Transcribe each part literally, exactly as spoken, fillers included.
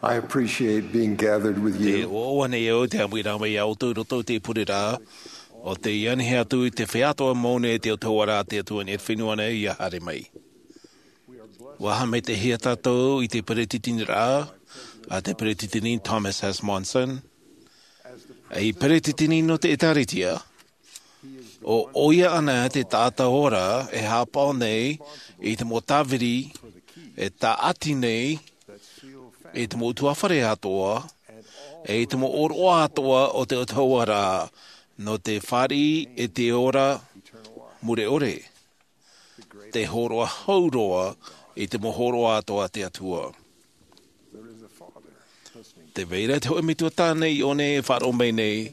I appreciate being gathered with you. Te ʻoaʻoa nei au te ʻāmuiraʻa mai iā ʻoutou i roto i te pureraʻa, ʻo tei anihia atu i te feiā atoʻa mau nei te autahuʻaraʻa a te Atua i te fenua nei ʻia haere mai. ʻUa haʻamaitaʻihia tātou i te peretiteniraʻa a te Peretiteni Thomas S. Monson, ei peretiteni nō te ʻĒtārētia, ʻo ʻoia ānei te taʻata ora e haʻapaʻo nei i te mau tāviri e tāʻati nei i te mau ʻutuāfare atoʻa, e i te mau ʻōroʻa atoʻa o te autahuʻaraʻa, nō te fāriʻi i te ora mure ʻore, te hōroʻa hou roa i te mau hōroʻa atoʻa a te Atua. Tē vai ra te hōʻē metua tāne i ʻō nei e faʻaroʻo mai nei,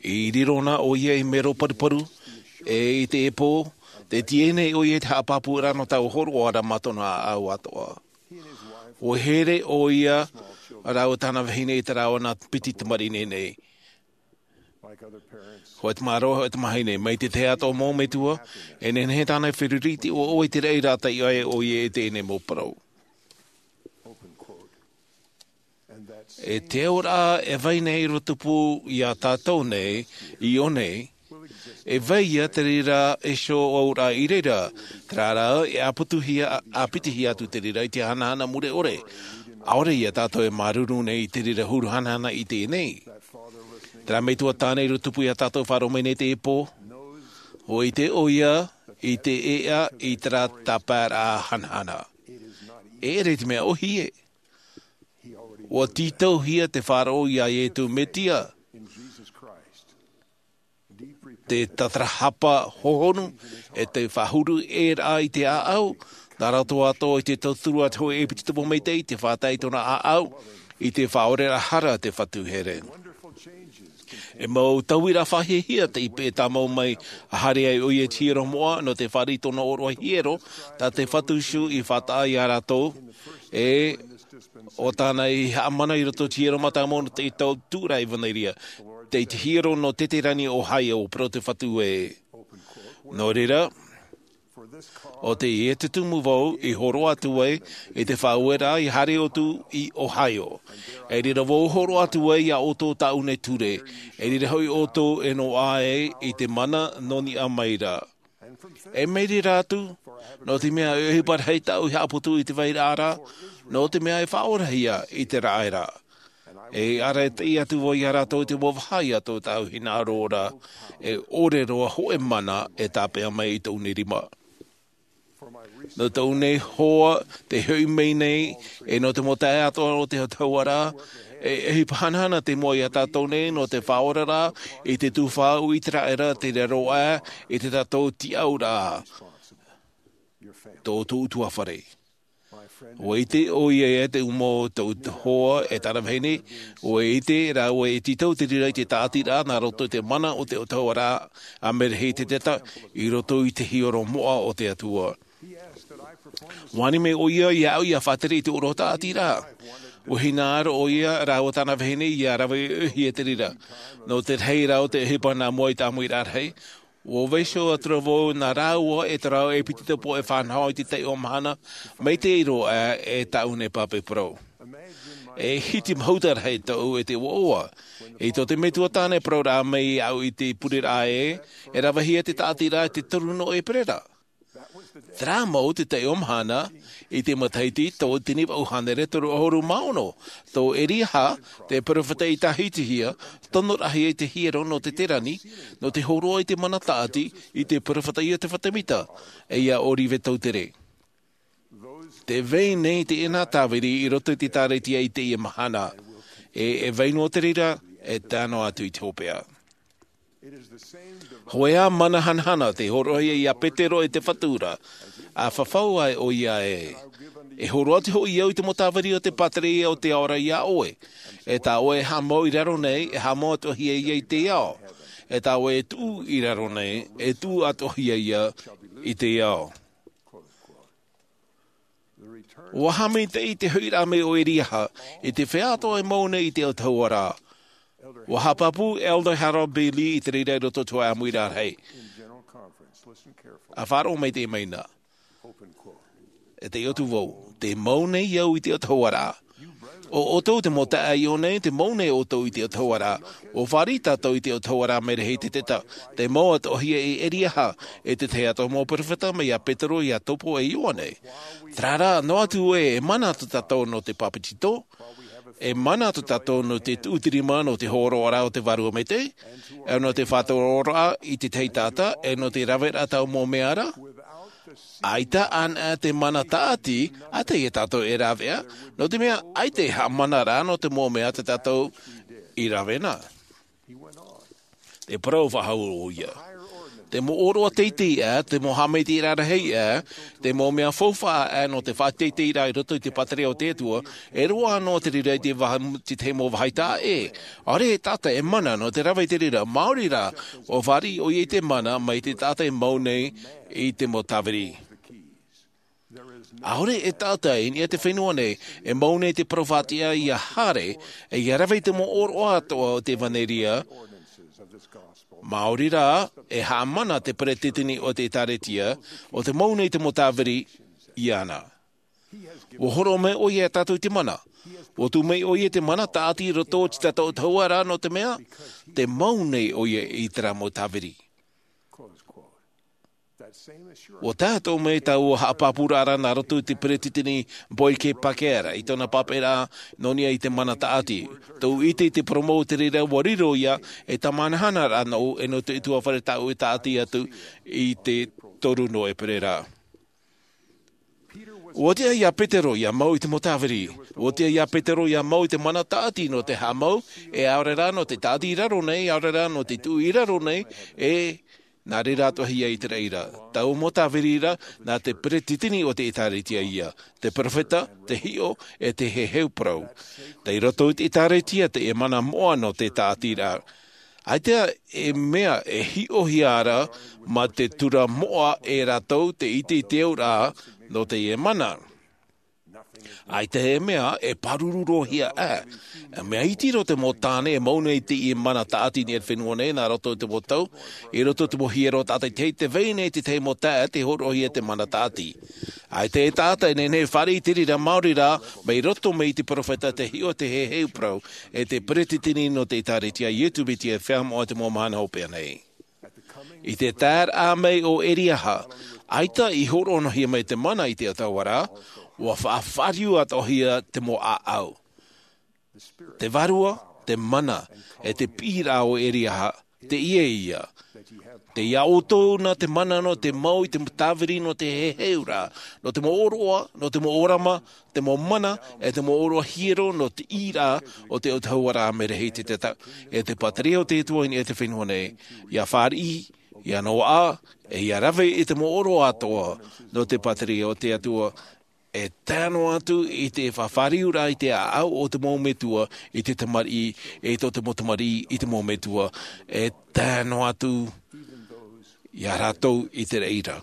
i riro na ʻoia i te mero paruparu, e i te ʻēpō, tē tīaʻi nei ʻoia i te haʻapāpūraʻa nō taua hōroʻa ra mā tōna ʻāʻau atoʻa. ʻUa here ʻoia rāua tāna vahine i te rāveʻa piti tamariʻi nei. Hōʻē tamaroa, hōʻē tamahine, mai te tahi atoʻa mau metua, e nehenehe tāna e feruri i te ʻoaʻoa i te raʻi rā taiʻo ai ʻoia i teie nei mau parau. E te auraʻa e vai nei i tupu iā tātou nei, i ʻō nei, e vai ia te reira iho auraʻa i reira, terā rā, e ʻāpitihia, ʻāpitihia atu te reira i te hanahana mure ʻore. ʻAore ia tātou e māuruuru nei i te reira huru hanahana i teie nei. Terā metua tāne i tupu iā tātou faʻaroʻo mai nei i teie pō, ʻua ʻite ʻoia i te ʻēʻa i terā tāpaeraʻa hanahana. E ʻere i te mea ʻōhie. ʻUa tītauhia te faʻaroʻo iā Iesu Mesia, te tatarahapa hohonu, e te faʻahuru ʻē ra i te ʻāʻau, nā roto atoʻa i te tauturu a te hōʻē ʻēpiti tupuna maitaʻi, te faʻatae i tōna ʻāʻau, i te faʻaoreraʻa hara a te Fatu here. E mau tauiraʻa faʻahiahia tei peʻe tāmau mai, ʻa haere ai ʻoia i te hiero moʻa, nō te fāriʻi i tōna ʻōroʻa hiero, tā te Fatu Iēsu i faʻataʻa iā rātou, e ʻo tāna i haʻamana i roto i te hiero mātāmua nō te tau tūraʻi ʻevaneria, tei te hiero nō Teterani, Ohio, parau te Fatu ē. Nō reira, ʻo teie tumu vau i hōroʻa atu ai i te faʻaueraʻa i haere atu i Ohio. I reira vau i hōroʻa atu ai iā ʻoutou tāʻu nei ture, i reira hoʻi ʻoutou e noaʻa ai i te mana nō niʻa mai ra. E mai reira atu, nō te mea e ʻohipa rahi tāʻu i haʻaputu i te vairaʻa ra, nō te mea e faʻaorahia i te raʻa ra. E ʻaraʻi atu vau iā rātou i te mau vaha ia tō tāʻu hinaʻaro ra, e ʻore roa hōʻē mana e tāpeʻa mai i tōʻu nei rima. Nō tōʻu nei hoa tei hoʻi mai nei, e nō te mau taeaʻe atoʻa o te autahuʻaraʻa, e ʻohipa hanahana te mua iā tātou nei, nō te faʻaoraraʻa i te tuhaʻa ʻĪteraʻera, te raro aʻe i tā tātou tiʻauraʻa, tō ʻoutou ʻutuāfare. ʻUa ʻite ʻoia ia te ʻumo o tōʻu hoa e tāna vahine, ʻua ʻite rāua e tītau te reira i te tāʻatiraʻa nā roto i te mana o te autahuʻaraʻa a Merehī Teteta i roto i te hiero moʻa o te Atua. ʻUa ani mai ʻoia iāʻu ʻia faʻatere i te ʻōroʻa tāʻatiraʻa. ʻUa hinaʻaro ʻoia rāua tāna vahine ʻia rave ʻohie te reira. Nō te rahi rā o te ʻohipa nā mua i te ʻāmuiraʻa rahi, ʻua vaiiho atu ra vau nā rāua e te rāveʻa ʻēpiti tupuna e fānaʻo i te taiʻo mahana, mai te ʻīrava e tāʻu nei pāpaʻi parau. E hiti mahuta rahi tōʻu e te ʻoaʻoa. I tō te metua tāne parauraʻa mai iāʻu i te pureraʻa ē, e ravehia te tāʻatiraʻa i te toru nō ʻēperēra. Terā mau te taiʻo mahana, i te matahiti tauatini vaʻu hānere toru ʻahuru mā ono, tō Eriaha, te peropheta i tāhitihia, tonoraʻahia i te hiero nō Teterani, nō te hōroʻa i te mana tāʻati, i te peropheta Iosepha Semita, e ia Olive Tautere. Tē vai nei teie nā tāviri i roto i te ʻĒtārētia i teie mahana, e, e vai noa te reira, e tae noa atu i te hopeʻa. Hōʻē ā mana hanahana tei hōroʻahia iā Petero e te Fatu ra, ʻa fafau ai ʻoia ē. E hōroʻa atu hoʻi au i te mau tāviri o te pātireia o te ao ra iā ʻoe. E tā ʻoe e haʻamau i raro nei, e haʻamau atoʻahia ia i te ao. E tā ʻoe e tuʻu i raro nei, e tuʻu atoʻahia ia i te ao. ʻUa haʻamaitaʻi te hoʻiraʻa mai o Eriaha, i te feiā atoʻa e mau nei i te autahuʻaraʻa. ʻUa haʻapāpū Elder Harold B. Lee i te reira i roto i te hōʻē ʻāmuiraʻa rahi. ʻA faʻaroʻo mai teie nei. E taiʻo atu vau, tē mau nei au i te autahuʻaraʻa. ʻO ʻoutou te mau taeaʻe iʻo nei, te mau nei ʻoutou i te autahuʻaraʻa. ʻUa fāriʻi tātou i te autahuʻaraʻa Merehititeta, te mau atoʻahia e Eriaha, e te tahi atoʻa mau perofeta mai iā Petero, Iakobo e Ioane. Terā rā, noa atu ē, e mana tō tātou nō te bāpetizo, e mana tō tātou nō te tuʻutirima nō te hōroʻaraʻa o te Vārua Maitaʻi, e nō te faʻatoroʻaraʻa i te tahi taʻata, e nō te raveraʻa i taua mau mea ra. ʻAita anaʻe te mana tāʻati, ʻaita ia tātou e rāveʻa, nō te mea ʻaita e haʻamanaraʻa nō te mau mea tā tātou i rave na. E parau faʻahou ʻoia. Te mau ʻōroʻa teitei aʻe, te mau haʻamaitaʻiraʻa rahi aʻe, te mau mea faufaʻa aʻe nō te faʻateiteiraʻa i roto i te pātireia o te Atua, e roaʻa noa te reira i te vaha-, te tahi mau vāhi taʻa ʻē. ʻAore e taʻata e mana nō te rave i te reira, maori rā, ʻua fāriʻi ʻoia i te mana mai te taʻata e mau nei i te mau tāviri. ʻAore e taʻata i niʻa i te fenua nei, e mau nei te parau faʻatiʻa ia haere, e ia rave i te mau ʻōroʻa atoʻa o te ʻevanelia, maori rā, e haʻamana te peretiteni o te ʻĒtārētia, ʻo te mau nei te mau tāviri iāna. ʻUa hōroʻa mai ʻoia iā tātou i te mana. ʻUa tuʻu mai ʻoia i te mana tāʻati i roto i tā tātou autahuʻaraʻa nō te mea, te mau nei ʻoia i terā mau tāviri. ʻUa tae atoʻa mai taua haʻapāpūraʻa ra nā roto i te peretiteni Boyd K. Packer i tōna pāpaʻiraʻa nō niʻa i te mana tāʻati. Tōʻu ʻite i te parau mau o te reira ʻua riro ia e tāmāhanahana ra nōʻu e nō te ʻutuāfare tāʻu e tāʻati atu i te toru nō ʻēperēra. ʻUa tiʻa iā Petero ia mau i te mau tāviri. ʻUa tiʻa iā Petero ia mau i te mana tāʻati nō te haʻamau, e ʻaore rā nō te tāʻati i raro nei, ʻaore rā nō te tuʻu i raro nei, e nā reira atoʻahia i te reira. Taua mau tāviri ra, nā te peretiteni o te ʻĒtārētia ia, te perofeta, te hiʻo, e te heheu parau. Tei roto i te ʻĒtārētia te mana moʻa nō te tāʻatiraʻa. ʻAita e mea e hiʻohia ra mā te tura moʻa e rātou te ʻite i te auraʻa nō teie mana. ʻAita e mea e pāruru roa hia aʻe. E mea iti roa te mau tāne e mau nei i teie mana tāʻati i niʻa i te fenua nei, nā roto i te mau tau, i roto i te mau hiero tātaʻitahi, tē vai nei te tahi mau taeaʻe tē hōroʻahia te mana tāʻati. ʻAita e taʻata e nehenehe e fāriʻi i te reira maori rā, mai roto mai i te perofeta, te hiʻo, te heheu parau, e te peretiteni nō te ʻĒtārētia a Iesu Mesia e feiā moʻa i te mau mahana hopeʻa nei. I te taeraʻa mai o Eriaha, ʻaita i hōroʻahia mai te mana i te autahuʻaraʻa, ʻua faʻafāriu atoʻahia te mau ʻāʻau. Te vārua, te mana, e te piʻiraʻa o Eriaha, teie ia. Tei iā ʻoutou na te mana nō te mau i te tāviri nō te heheuraʻa, nō te mau ʻōroʻa, nō te mau ʻōrama, te mau mana, e te mau ʻōroʻa hiero nō te ʻīraʻa o te autahuʻaraʻa Merehititeta, e te pātireia o te Atua i niʻa i te fenua nei, ia fāriʻi, ia noaʻa, e ia rave i te mau ʻōroʻa atoʻa nō te pātireia o te Atua, e tae noa atu i te faʻafāriuraʻa i te ʻāʻau o te mau metua i te tamariʻi, e tō te mau tamariʻi i te mau metua, e tae noa atu iā rātou i te reira.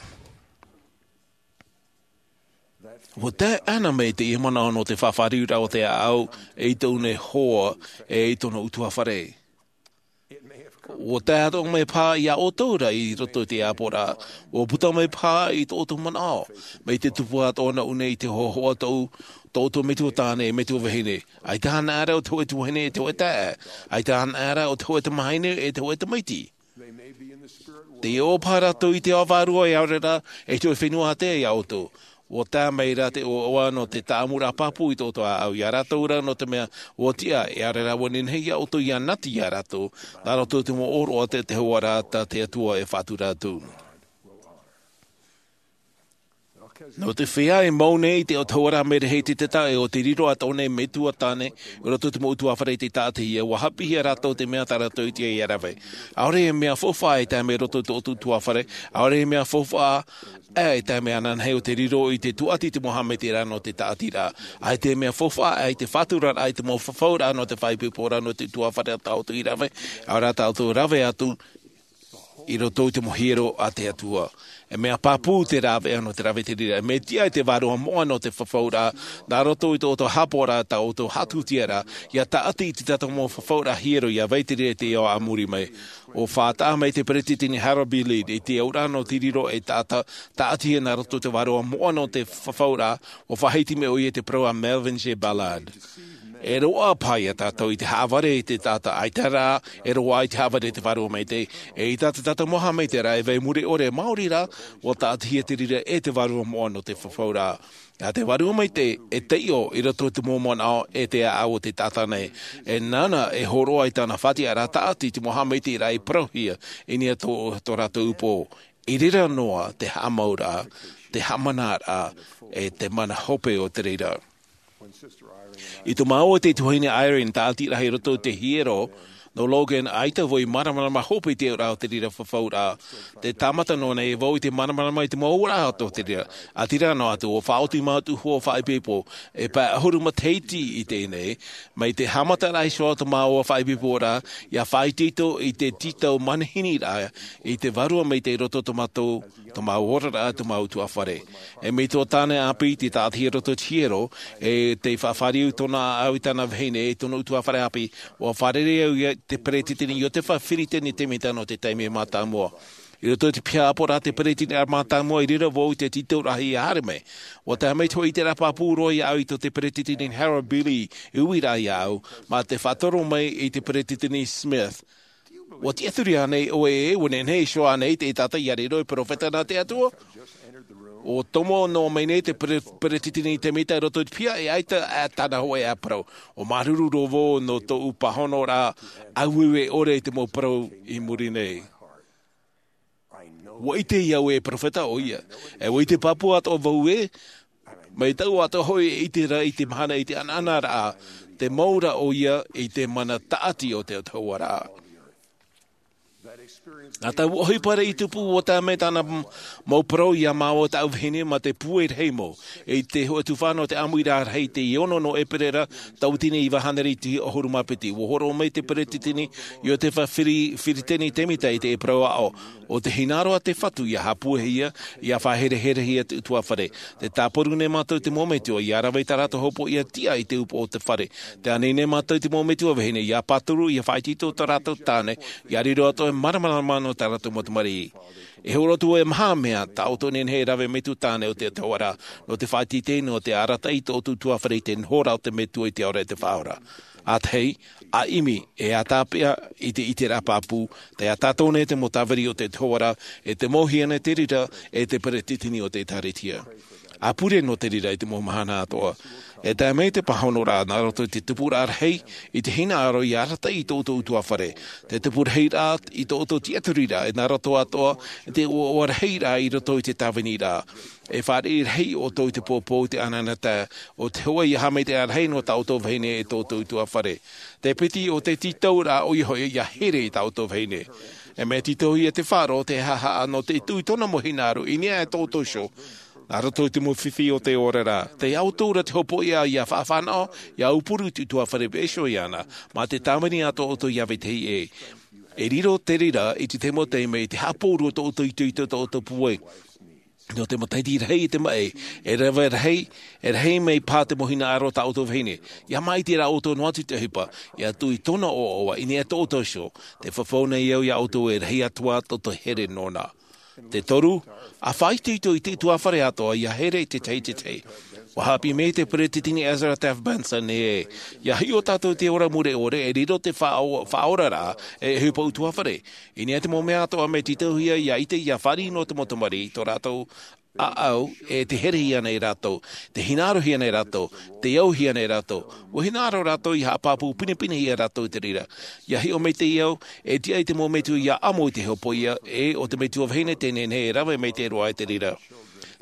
ʻUa tae ana mai teie manaʻo nō te faʻafāriuraʻa o te ʻāʻau i tōna hoa, e i tōna ʻutuāfare. ʻUa tae atoʻa mai paha iā ʻoutou ra i roto i te ʻāpoʻoraʻa, ʻua puta mai paha i tō ʻoutou manaʻo, mai te tupu atoʻa nōʻu nei i te hōhoʻa tō, tō ʻoutou metua tāne, metua vahine. ʻAita anaʻe ra ʻo te hōʻē tuahine e te hōʻē taeaʻe. ʻAita anaʻe ra ʻo te hōʻē tamahine e te hōʻē tamaiti. Tē ʻoaʻoa paha rātou i te ao vārua, e ʻaore rā, e te hōʻē fenua ātea iā ʻoutou. ʻUa tae mai ra te ʻoaʻoa nō te tāʻamuraʻa pāpū i tō ʻoutou ʻāʻau, iā rātou ra nō te mea ʻua tiʻa, e ʻaore rā ʻua nehenehe iā ʻoutou ia nati iā rātou, nā roto i te mau ʻōroʻa o te autahuʻaraʻa tā te Atua e faʻatura atu. Nō te feiā e mau nei i te autahuʻaraʻa Merehititeta, e ʻo te riro atoʻa nei metua tāne i roto i te mau ʻutuāfare i te taʻatihia, ʻua haʻapiʻihia rātou te mea tā rātou i tiʻa ia rave. ʻAore e mea faufaʻa e tae mai roto i tō ʻoutou ʻutuāfare, ʻaore e mea faufaʻa e tae mai ananahi ʻo te riro i te tūʻati i te mau haʻamaitaʻiraʻa nō te taʻatiraʻa. ʻAita e mea faufaʻa e te faʻaturaraʻa i te mau fafauraʻa nō te faʻaipoiporaʻa nō te ʻutuāfare tā ʻoutou i rave, ʻaore rā tā ʻoutou rave atu, i roto i te mau hiero a te Atua. E mea pāpū te rāveʻa nō te rave i te reira. E mea tiʻa i te vārua moʻa nō te fafauraʻa, nā roto i tō ʻoutou haʻapaʻoraʻa, tā ʻoutou haʻatutia ra, ia taʻati i te tātou mau fafauraʻa hiero, ia vai i te reira i te ao a muri mai. ʻUa faʻataʻa mai te peretiteni Harold B. Lee i te auraʻa nō te riro ei taʻata, taʻatihia nā roto i te vārua moʻa nō te fafauraʻa, ʻua faʻahiti mai ʻoia i te parau a Melvin J. Ballard. E roaʻa paha ia tātou i te haʻavare i te taʻata, ʻaita rā e roaʻa i te haʻavare i te Vārua Maitaʻi. E ʻaita tā tātou mau haʻamaitaʻiraʻa e vai mure ʻore, maori rā, ʻua tāʻatihia te reira e te Vārua moʻa nō te fafauraʻa. ʻA te Vārua Maitaʻi e taiʻo i roto i te mau manaʻo e te ʻāʻau o te taʻata nei. E nāna e hōroʻa i tāna faʻatiʻaraʻa tāʻati i te mau haʻamaitaʻiraʻa i parauhia i niʻa i tō, tō rātou upoʻo. I reira noa te haʻamauraʻa, te haʻamanaraʻa, e te mana hope o te reira. I tō māua e te tuahine Irene, tāʻatiraʻa i roto i te hiero nō Logan, ʻaita vau i māramarama hope i te auraʻa o te reira fafauraʻa. Te tāmata noa nei vau i te māramarama i te mau auraʻa o te reira. ʻĀtīrā noa atu, ʻua faʻaoti mātou hua faʻaipoipo, e pae ʻahuru matahiti i teie nei, mai te haʻamataraʻa iho o tō māua faʻaipoiporaʻa, ʻia faʻaitoito i te tītau manehiniraʻa i te Vārua Maitaʻi i roto i tō mātou, tō māua oraraʻa, tō māua ʻutuāfare. E mai tō tāne ʻāpī i te tāʻatihia i roto i te hiero, e tei faʻafāriu tōna ʻāʻau i tāna vahine, e tōna ʻutuāfare ʻāpī, ʻua fārerei au ia te peretiteni Iotefa Firiteni Temita nō te taime mātāmua. I roto i te piha ʻāpoʻoraʻa a te peretiteni mātāmua, i reira vau i te tītauraʻa ia haere mai. ʻUa tae mai te hōʻē ʻiteraʻa pāpū roa iāʻu i tō te peretiteni Harold B. Lee i uiraʻa iāʻu, mā te faʻatoro mai i te peretiteni Smith. ʻUa tiʻaturi ānei ʻoe ē, ʻua nehenehe iho ānei te taʻata ʻia riro ei peropheta nā te Atua? ʻUa tomo noa mai nei te pere-, peretiteni Temita i roto i te piha, e ʻaita ā tāna hōʻē ā parau. ʻUa māuruuru roa vau nō tōʻu pāhonoraʻa ʻāueue ʻore i te mau parau i muri nei. ʻUa ʻite au e peropheta ʻoia. E ʻua ʻite pāpū atoʻa vau ē, mai tāʻu atoʻa hoʻi e ʻite ra i te mahana i te ʻanaʻanaraʻa, te mau ra ʻoia i te mana tāʻati o te Atua ra. Nā taua ʻohipa i tupu, ʻua tae mai tāna m-, mau parau iā māua tāʻu vahine mā te pūai rahi mau. I te hōʻē tuhaʻa nō te ʻāmuiraʻa rahi, te ono nō ʻEperēra, tauatini iva hānere e ʻahuru mā piti, ʻua hōroʻa mai te peretiteni Iotefa Firi-, Firiteni Temita i te parau aʻo, ʻo te hinaʻaro a te Fatu ʻia haʻapuehia, ʻia faʻahereherehia te ʻutuāfare. Tē tāparu nei mātou i te mau metua ʻia rave i tā rātou hopoiʻa tiʻa i te upoʻo o te fare. Tē ani nei mātou i te mau metua vahine ʻia pāturu, ʻia faʻaitoito i tō rātou tāne, ʻia riro atoʻa e māramarama nō tā rātou mau tamariʻi. E hōroʻa atu e maha mea, tā ʻoutou e nehenehe e rave, metua tāne o te Atua ra, nō te faʻateitei, nō te arataʻi i tō ʻoutou ʻutuāfare i te noho ra o te Metua i te Ao ra e te Faʻaora. ʻA tahi, ʻa ʻimi, e ʻa tāpeʻa i te ʻiteraʻa pāpū, tē ʻatā atoʻa nei te mau tāviri o te Atua ra, e te mau hiʻo nei te reira, e te peretiteni o te ʻĒkālesia. ʻA pure nō te reira i te mau mahana atoʻa. E tae mai te pāhonoraʻa nā roto i te tupuraʻa rahi, i te hinaʻaro ʻia arataʻi i tō ʻoutou ʻutuāfare. Te tupu rahi ra i tō ʻoutou tiʻaturiraʻa, e nā roto atoʻa i te ʻoaʻoa rahi ra i roto i te tāviniraʻa. E fāriʻi rahi ʻoutou i te poupou, i te ʻanaʻanatae, ʻo te hōʻē ʻia haʻamaitaʻi rahi nō tā ʻoutou vahine e tō ʻoutou ʻutuāfare. Te piti o te tītauraʻa ʻoia hoʻi ʻia here i tā ʻoutou vahine. E mea tītauhia te faʻaroʻo, te haʻahaʻa nō te tuʻu i tōna mau hinaʻaro i niʻa i tō ʻoutou iho. Nā roto i te mau fifi o te oraraʻa. Tei ʻoutou ra te hopoiʻa ʻia faʻafānaʻo, ʻia aupuru i te ʻutuāfare vaiiho iāna, mā te tāvini a tō ʻoutou iā vetahi ʻē. E riro te reira i te tahi mau taime i te haʻapōuri o tō ʻoutou itoito, tō ʻoutou pūai. Nō te matahiti rahi i te maʻi, e rave rahi, e rahi mai paha te mau hinaʻaro tā ʻoutou vahine. ʻIa maʻiti rā ʻoutou noa atu i te ʻohipa, ʻia tuʻu i tōna ʻoaʻoa i niʻa i tō ʻoutou iho, tē fafau nei au iā ʻoutou e rahi atu ā tō te here nōna. Te toru, ʻa faʻaitoito i te ʻutuāfare atoʻa ʻia here i te tahi i te tahi. ʻUa haʻapiʻi mai te peretiteni Ezra Taft Benson ē, ʻia hiʻo tātou i te ora mure ʻore, e riro te faʻao-, faʻaoraraʻa, e ʻohipa ʻutuāfare. I niʻa i te mau mea atoʻa mea tītauhia ʻia ʻite, ʻia fāriʻi nō te mau tamariʻi, tō rātou ʻāʻau, e tē herehia nei rātou, tē hinaʻarohia nei rātou, tē auhia nei rātou. ʻUa hinaʻaro rātou ʻia haʻapāpū pinepinehia rātou i te reira. ʻIa hiʻo maitaʻi au, e tiʻa i te mau metua ʻia ʻamo i te hopoiʻa, e ʻo te metua vahine tē nehenehe e rave maitaʻi roa i te reira.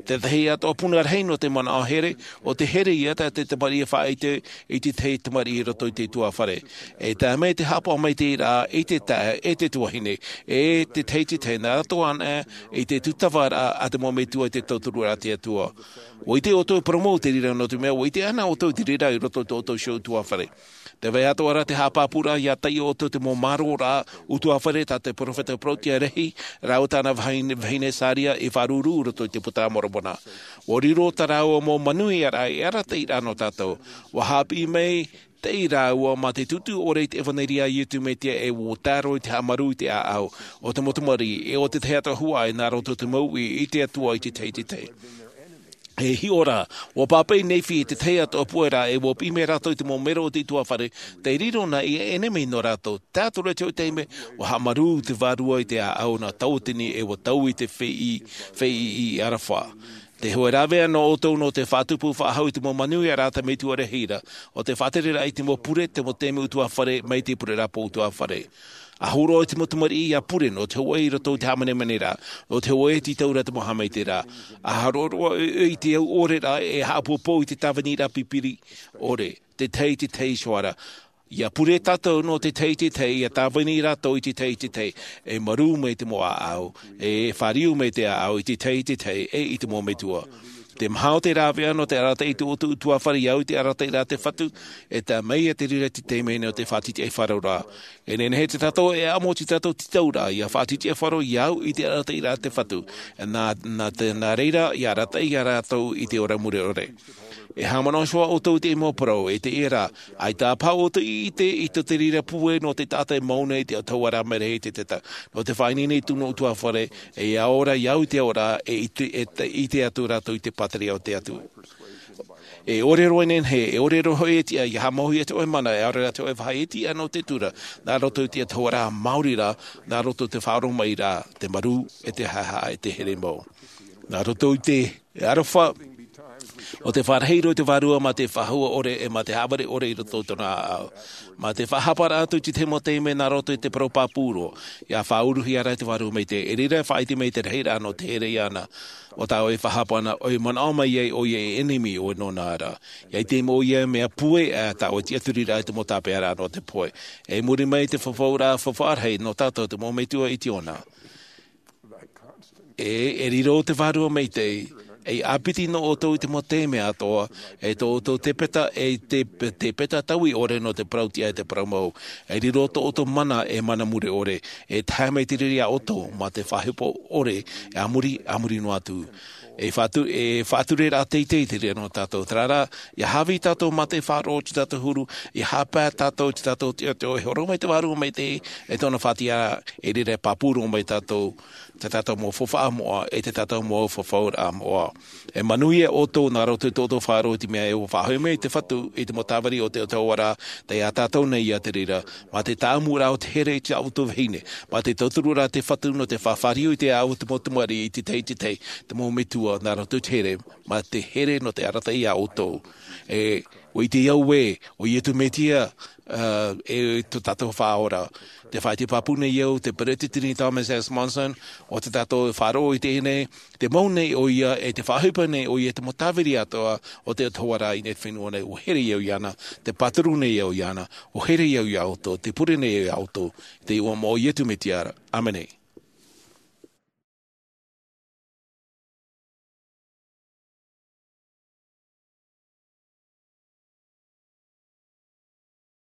Te tahi atoʻa puna rahi nō te manaʻo here, ʻo te here ia tā te tamariʻi e faʻaʻite i te tahi tamariʻi i roto i te ʻutuāfare. E tae mai te haʻapaʻo maitaʻi ra i te taeaʻe, e te tuahine, e te tahi i te tahi, nā roto anaʻe i te tūtava ra a te mau metua i te tauturu ra a te Atua. ʻUa ʻite ʻoutou e parau mau i te reira, nō te mea ʻua ʻite anaʻe ʻoutou i te reira i roto i tō ʻoutou iho ʻutuāfare. Tē vai atoʻa ra te haʻapāpūraʻa ʻia taiʻo ʻoutou i te mau māroraʻa ʻutuāfare tā te peropheta Portia Rehi, rāua tāna vahine, vahine Saria i faʻaruru i roto i te Puta a Moromona. ʻUa riro tā rāua mau manuiaraʻa e arataʻi ra nō tātou. ʻUa haʻapiʻi maitaʻi rāua mā te tūtū ʻore i te ʻevaneria a Iesu Mesia, e ʻua tae roa i te haʻamaru i te ʻāʻau o te mau tamariʻi, e ʻo te tahi atoʻa huaʻai nā roto i te mau uʻi i te Atua i te tahi i te tahi. E hiʻo rā, ua pāpaʻi Nephi i te tahi atu puai rā, e ua piʻi mai rātou i te mau mero o te ʻutuāfare, tei riro na ia ʻenemi nō rātou. Tae atu ra i te hōʻē taime, ua haʻamarū te Vārua i te ʻāʻau nā Tauatini, e ua taui te feiʻi, feiʻi i Arafa. Te hōʻē rāveʻa nō ʻoutou nō te faʻatupu faʻahou i te mau manuia rā te Metua rahi ra, ʻo te faʻatereraʻa i te mau pure, te mau taime ʻutuāfare, mai te pureraʻa pō ʻutuāfare. ʻA hōroʻa i te mau tamariʻi ʻia pure nō te hōʻē i roto i te hāmanemane ra, nō te hōʻē e tītau ra te mau haʻamaitaʻiraʻa. ʻA haʻaroʻaroʻa ʻoe i te au ʻore ra, e haʻapoupou i te tāviniraʻa pipiri ʻore, te tahi i te tahi iho ā ra. ʻIa pure tātou nō te tahi i te tahi, ʻia tāvini rātou i te tahi i te tahi, e marū mai te mau ʻāʻau, e fāriu mai te ʻāʻau i te tahi i te tahi, e i te mau metua. Te maha o te rāveʻa nō te arataʻi i tō ʻoutou ʻutuāfare, ʻia au i te arataʻiraʻa a te Fatu, e tae mai ia te reira i te taime nō te faʻatitiʻaifaro ra. E nehenehe tātou e ʻamo i tō tātou tītauraʻa, ʻia faʻatitiʻaifaro, ʻia au i te arataʻiraʻa a te Fatu. Nā, nā te, nā reira, ʻia arataʻi ia rātou i te ora mure ʻore. E haʻamanaʻo iho ā ʻoutou i te mau parau, e te ia rā, ʻaita paha ʻoutou i ʻite i tō te reira pūai nō te taʻata e mau nei i te ʻautahuaraʻa mai rahi i te teta, nō te faʻaineine i tōna ʻutuāfare, e ʻia ora, ʻia au i te ora, e ʻite, e te, ʻite atu rātou i te pātireia o te Atua. E ʻore roa e nehenehe, e ʻore roa hoʻi e tiʻa, ʻia haʻamauhia te hōʻē mana, e ʻaore rā te hōʻē vāhi e tiʻa nō te tura, nā roto i te ʻautahuaraʻa maori ra, nā roto i te faʻaroʻo mai ra, te marū, e te haʻehaʻa, e te here mau. Nā roto i te aroha, ʻo te fāriu roa i te Vārua mā te faʻahou ʻore, e mā te haʻavare ʻore i roto i tōna ʻāʻau. Mā te faʻahaparaʻa atu i te mau taime nā roto i te parau pāpū roa, ʻia faʻauruhia ra te Vārua Maitaʻi, e reira e faʻaʻite mai te rahiraʻa nō te here iāna. ʻO tāʻu e faʻahapa na, ʻoe manaʻo mai ai ʻoia e ʻenemi ʻoe nōna ra. ʻIa ʻite mai ʻoia mea pūai, ā, tāʻu e tiʻaturi ra i te mau tāpeʻaraʻa nō te pohe. E muri mai te fafauraʻa, fafauraʻa rahi nō tātou te mau metua i te ʻona. E, e riro te Vārua Maitaʻi, e ʻāpiti nō ʻoutou i te mau taime atoʻa, e tō ʻoutou tepeta, e te, tepeta taui ʻore nō te parau tiʻa e te parau mau. E riro tō ʻoutou mana, e mana mure ʻore, e tae mai te reira iā ʻoutou, mā te faʻahepo ʻore, e a muri, a muri noa atu. E faʻatu-, e faʻatureraʻa teitei te reira nō tātou. Terā rā, ʻia haʻavī tātou mā te faʻaroʻo i tō tātou huru, ʻia haʻapae tātou i tō tātou tiʻa, e hōroʻa mai te Vārua Maitaʻi, e tōna faʻatiʻaraʻa, e reira e pāpū roa mai tātou, tō tātou mau faufaʻa moʻa, e tō tātou mau fafauraʻa moʻa. E manuia ʻoutou nā roto i tō ʻoutou faʻaroʻo i te mea e faʻahoʻi mai te Fatu i te mau tāvini o te ʻautahuaraʻa, tei iā tātou nei ia te reira, mā te tāʻamuraʻa o te here i tā ʻoutou vahine, mā te tauturu ra te Fatu nō te faʻafāriu i te ʻāʻau o te mau tamariʻi i te tahi i te tahi, te mau metua nā roto i te here, mā te here nō te arataʻi iā ʻoutou. E, ʻua ʻite au ē, ʻo Iesu Mesia, ā, e tō tātou Faʻaora. Tē faʻaʻite pāpū nei au, te Peretiteni Thomas S. Monson, ʻo tā tātou e faʻaroʻo i teie nei, tē mau nei ʻoia, e tē faʻaʻohipa nei ʻoia i te mau tāvini atoʻa o te ʻautahuaraʻa i teie fenua nei, ʻua here au iāna, tē pāturu nei au iāna, ʻua here au iā ʻoutou, tē pure nei au iā ʻoutou, i te iʻoa o Iesu Mesia ra. ʻĀmene.